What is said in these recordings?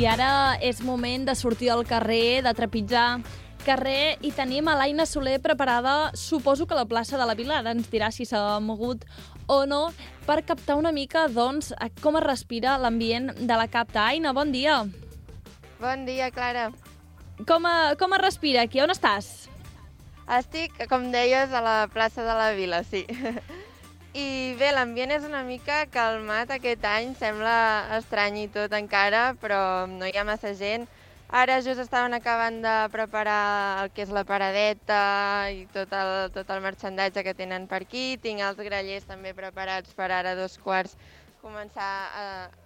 I ara és moment de sortir al carrer, de trepitjar carrer, i tenim a l'Aina Soler preparada, suposo que a la plaça de la Vila, ara ens dirà si s'ha mogut o no, per captar una mica, doncs, com es respira l'ambient de la Capta. Aina, bon dia. Bon dia, Clara. Com es respira aquí? On estàs? Estic, com deies, a la plaça de la Vila, sí. I bé, l'ambient és una mica calmat aquest any, sembla estrany i tot encara, però no hi ha massa gent. Ara just estaven acabant de preparar el que és la paradeta i tot el marxandatge que tenen per aquí. Tinc els grallers també preparats per ara 2:15 començar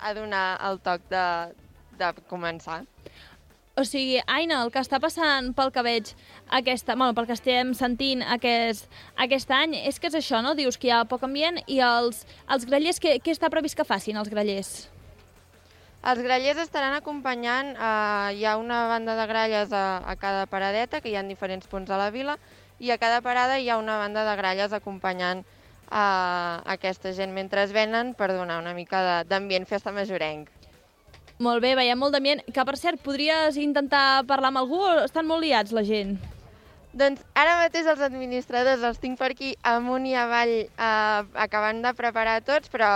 a donar el toc de començar. O sigui, Aina, el que està passant pel que veig, pel que estem sentint aquest any, és que és això, no? Dius que hi ha poc ambient i els grallers, què està previst que facin, els grallers? Els grallers estaran acompanyant, hi ha una banda de gralles a cada paradeta, que hi ha en diferents punts de la vila, i a cada parada hi ha una banda de gralles acompanyant aquesta gent mentre es venen per donar una mica d'ambient festa majorenc. Molt bé, veiem molt d'ambient. Que, per cert, podries intentar parlar amb algú o estan molt liats, la gent? Doncs ara mateix els administradors els tinc per aquí amunt i avall acabant de preparar tots, però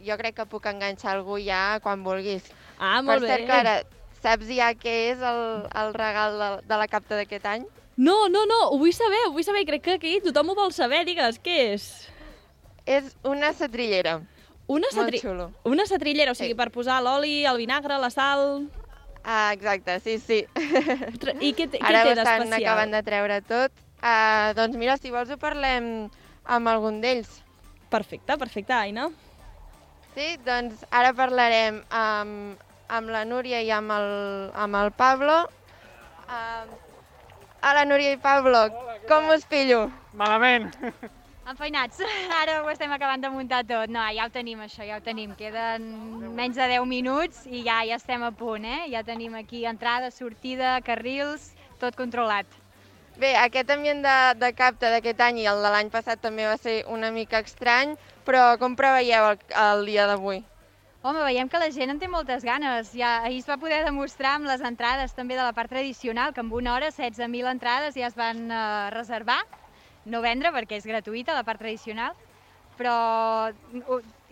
jo crec que puc enganxar algú ja quan vulguis. Ah, molt bé. Per cert, Clara, saps ja què és el regal de la Capta d'aquest any? No, ho vull saber. Crec que aquí tothom ho vol saber, digues, què és? És una setrillera. Molt xulo. Una setrillera, o sigui, per posar l'oli, el vinagre, la sal... Ah, exacte, sí. I què té ara d'especial? Ara estan acabant de treure tot. Doncs mira, si vols ho parlem amb algun d'ells. Perfecte, Aina. Sí, doncs ara parlarem amb la Núria i amb el Pablo. Hola, Núria i Pablo, com us pillo? Malament. Enfeinats, ara ho estem acabant de muntar tot. No, ja ho tenim, això, ja ho tenim. Queden menys de 10 minuts i ja estem a punt, eh? Ja tenim aquí entrada, sortida, carrils, tot controlat. Bé, aquest ambient de Capta d'aquest any i el de l'any passat també va ser una mica estrany, però com preveieu el dia d'avui? Home, veiem que la gent en té moltes ganes. Ja, ahir es va poder demostrar amb les entrades també de la part tradicional, que en una hora 16.000 entrades ja es van reservar. No vendre perquè és gratuïta la part tradicional, però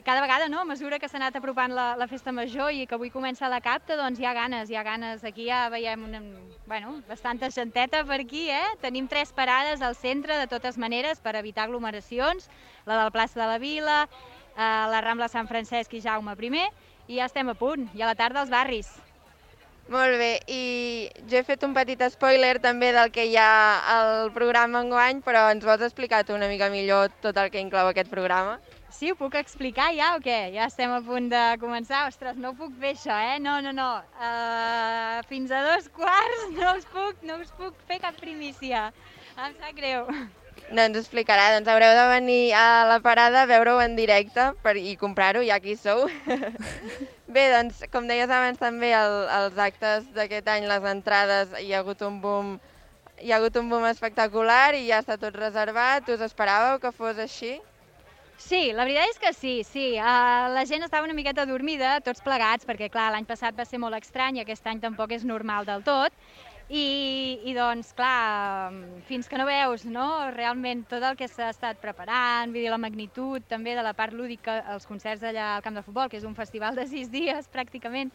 cada vegada, no, a mesura que s'ha anat apropant la festa major i que avui comença la Capta, doncs hi ha ganes. Aquí ja veiem bastanta genteta per aquí, Tenim 3 parades al centre, de totes maneres, per evitar aglomeracions, la de la plaça de la Vila, la Rambla Sant Francesc i Jaume I, i ja estem a punt, i a la tarda als barris. Molt bé, i jo he fet un petit spoiler també del que hi ha al programa enguany, però ens vols explicar tu una mica millor tot el que inclou aquest programa? Sí, ho puc explicar ja o què? Ja estem a punt de començar. Ostres, no puc fer això, No. Fins a 2:15 no us puc fer cap primícia. Em sap greu. No ens explicarà, doncs haureu de venir a la parada a veure-ho en directe i comprar-ho, ja que hi sou. Bé, doncs, com deies abans també, els actes d'aquest any, les entrades, hi ha hagut un boom espectacular i ja està tot reservat. Us esperàveu que fos així? Sí, la veritat és que sí. La gent estava una miqueta dormida, tots plegats, perquè clar, l'any passat va ser molt estrany i aquest any tampoc és normal del tot. I doncs, clar, fins que no veus, no?, realment tot el que s'ha estat preparant, vull dir, la magnitud també de la part lúdica, els concerts allà al camp de futbol, que és un festival de 6 dies pràcticament,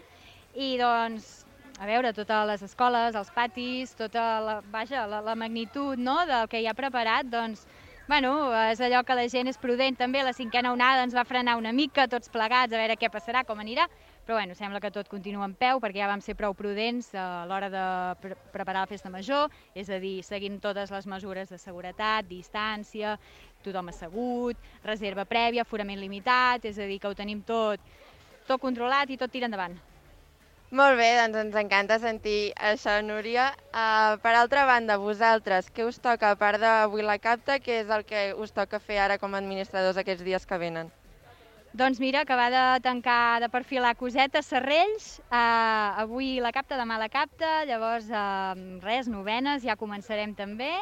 i doncs, a veure, totes les escoles, els patis, tota la magnitud, no?, del que hi ha preparat, doncs, és allò que la gent és prudent també. La 5a onada ens va frenar una mica, tots plegats, a veure què passarà, com anirà, però sembla que tot continua en peu perquè ja vam ser prou prudents a l'hora de preparar la festa major, és a dir, seguint totes les mesures de seguretat, distància, tothom assegut, reserva prèvia, aforament limitat, és a dir, que ho tenim tot controlat i tot tira endavant. Molt bé, doncs ens encanta sentir això, Núria. Per altra banda, vosaltres, què us toca, a part d'avui la Capta, què és el que us toca fer ara com a administradors aquests dies que venen? Doncs mira, acabar de tancar, de perfilar cosetes, serrells, avui la Capta, demà la Capta, llavors novenes, ja començarem també,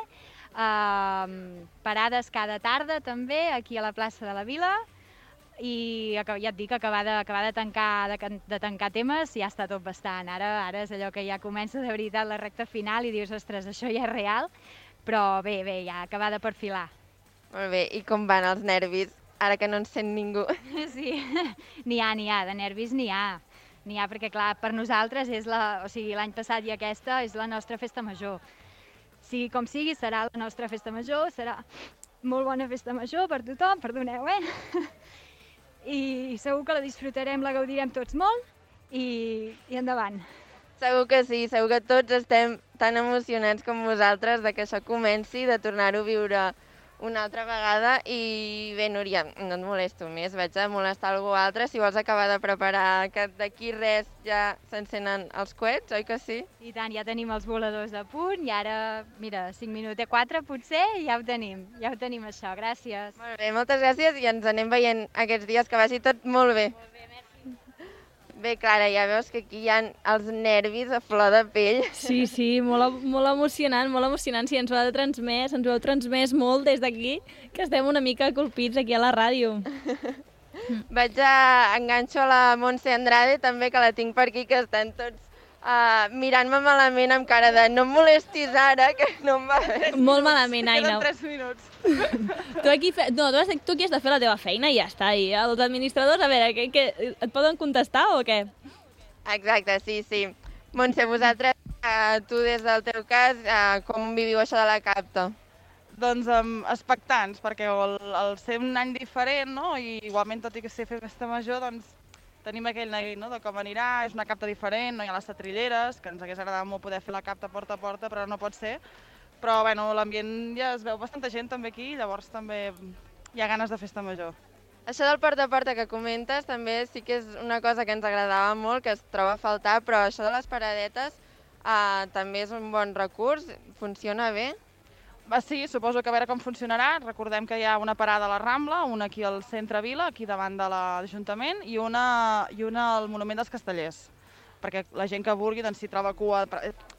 parades cada tarda també, aquí a la plaça de la Vila, i ja et dic, acabar de tancar temes ja està tot bastant. Ara és allò que ja comença de veritat la recta final i dius, ostres, això ja és real, però bé, ja acabar de perfilar. Molt bé, i com van els nervis, ara que no ens sent ningú? Sí, n'hi ha, de nervis n'hi ha. N'hi ha perquè, clar, per nosaltres l'any passat i aquesta és la nostra festa major. Sigui com sigui, serà la nostra festa major, serà molt bona festa major per tothom, perdoneu, I segur que la disfrutarem, la gaudirem tots molt i endavant. Segur que sí, segur que tots estem tan emocionats com vosaltres de que això comenci, de tornar-ho a viure una altra vegada. I bé, Núria, no et molesto més, vaig a molestar algú altre. Si vols acabar de preparar, que d'aquí res ja s'encenen els coets, oi que sí? I tant, ja tenim els voladors a punt i ara, mira, 5 minuts, 4 potser, i ja ho tenim això, gràcies. Molt bé, moltes gràcies i ens anem veient aquests dies, que vagi tot molt bé. Molt bé, merci. Bé, Clara, ja veus que aquí hi ha els nervis a flor de pell. Sí, molt emocionant. Sí, ens ho heu transmès molt des d'aquí, que estem una mica colpits aquí a la ràdio. Vaig enganxo a la Montse Andrade, també, que la tinc per aquí, que estan tots mirant-me malament amb cara de no em molestis ara, que no em va bé. Molt malament, Aina. Queden 3 minuts. Tu aquí has de fer la teva feina i ja està. I els administradors, a veure, et poden contestar o què? Exacte, sí. Montse, vosaltres, tu des del teu cas, com viviu això de la CAPTA? Doncs expectants, perquè el ser un any diferent, no? I igualment, tot i que sé fer festa major, doncs tenim aquell neguit, no?, de com anirà, és una CAPTA diferent, no hi ha les setrilleres, que ens hagués agradat molt poder fer la CAPTA porta a porta, però no pot ser. Però bueno, l'ambient ja es veu bastanta gent també aquí, llavors també hi ha ganes de festa major. Això del porta a porta que comentes també sí que és una cosa que ens agradava molt, que es troba a faltar, però això de les paradetes també és un bon recurs, funciona bé. Sí, suposo que a veure com funcionarà. Recordem que hi ha una parada a la Rambla, una aquí al centre Vila, aquí davant de l'Ajuntament, i una al Monument dels Castellers, perquè la gent que vulgui doncs, s'hi troba cua.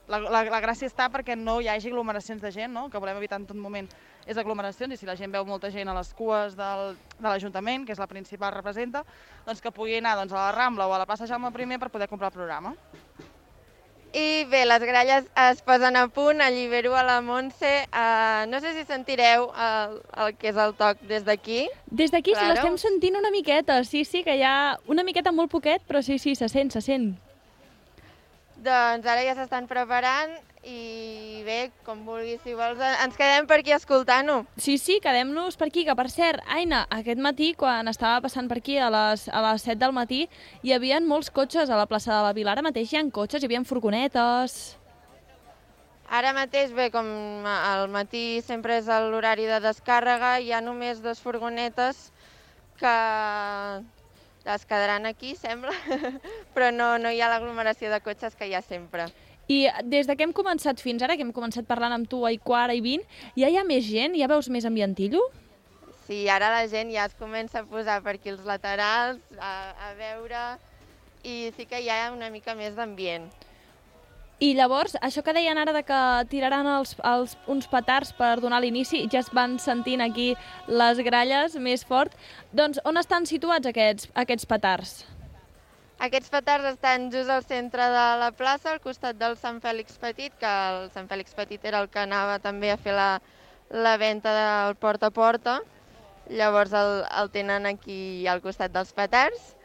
La gràcia està perquè no hi hagi aglomeracions de gent, no?, que volem evitar en tot moment és aglomeracions, i si la gent veu molta gent a les cues de l'Ajuntament, que és la principal representa, doncs que pugui anar a la Rambla o a la plaça Jaume I per poder comprar el programa. I bé, les gralles es posen a punt, allibero a la Montse. No sé si sentireu el que és el toc des d'aquí. Des d'aquí Claro. l'estem sentint una miqueta, sí, que hi ha una miqueta molt poquet, però sí, se sent. Doncs ara ja s'estan preparant i bé, com vulguis, si vols, ens quedem per aquí escoltant-ho. Sí, quedem-nos per aquí, que per cert, Aina, aquest matí, quan estava passant per aquí a les 7 del matí, hi havia molts cotxes a la plaça de la Vila. Ara mateix hi ha cotxes, hi havia furgonetes. Ara mateix, bé, com al matí sempre és l'horari de descàrrega, hi ha només 2 furgonetes que es quedaran aquí, sembla, però no hi ha l'aglomeració de cotxes que hi ha sempre. I des que hem començat fins ara, que hem començat parlant amb tu a 1:15, ja hi ha més gent? Ja veus més ambientillo? Sí, ara la gent ja es comença a posar per aquí els laterals, a veure, i sí que hi ha una mica més d'ambient. I llavors, això que deien ara de que tiraran uns petards per donar l'inici, ja es van sentint aquí les gralles més fort. Doncs on estan situats aquests petards? Aquests petards estan just al centre de la plaça, al costat del Sant Fèlix Petit, que el Sant Fèlix Petit era el que anava també a fer la venda del porta a porta. Llavors el tenen aquí al costat dels petards.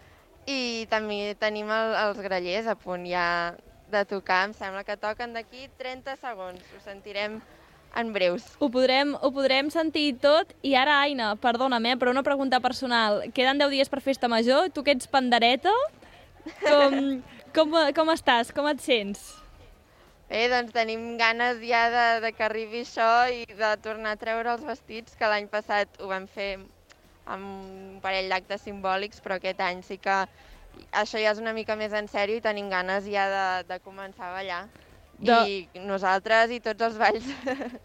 I també tenim els grallers a punt ja de tocar. Em sembla que toquen d'aquí 30 segons. Ho sentirem en breus. Ho podrem sentir tot. I ara, Aina, perdona'm, però una pregunta personal. Queden 10 dies per festa major. Tu que ets pandereta, com estàs? Com et sents? Bé, doncs tenim ganes ja de que arribi això i de tornar a treure els vestits, que l'any passat ho vam fer amb un parell d'actes simbòlics, però aquest any sí que això ja és una mica més en sèrio i tenim ganes ja de començar a ballar. I nosaltres i tots els balls.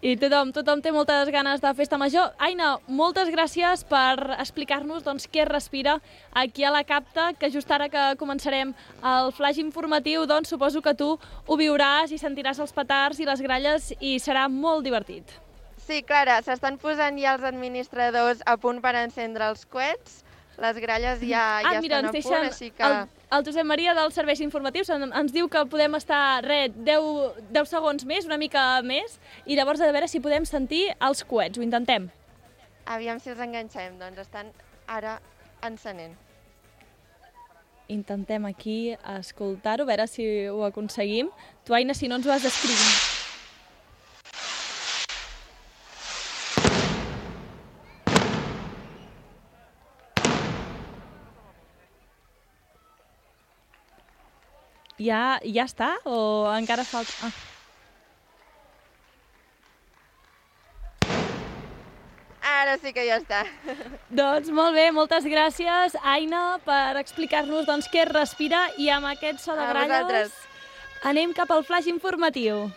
I tothom té moltes ganes de festa major. Aina, moltes gràcies per explicar-nos què es respira aquí a la CAPTA, que just ara que començarem el flash informatiu, suposo que tu ho viuràs i sentiràs els petards i les gralles i serà molt divertit. Sí, Clara, s'estan posant ja els administradors a punt per encendre els coets. Les gralles ja mira, estan a punt, així que... El Josep Maria dels serveis informatius ens diu que podem estar, 10 segons més, una mica més, i llavors a veure si podem sentir els coets. Ho intentem. Aviam si els enganxem, doncs estan ara encenent. Intentem aquí escoltar-ho, a veure si ho aconseguim. Tu, Aina, si no ens ho has d'escriure. Ja està? O encara falta... Ara sí que ja està. Doncs molt bé, moltes gràcies, Aina, per explicar-nos què es respira, i amb aquest so de gralles anem cap al flaix informatiu.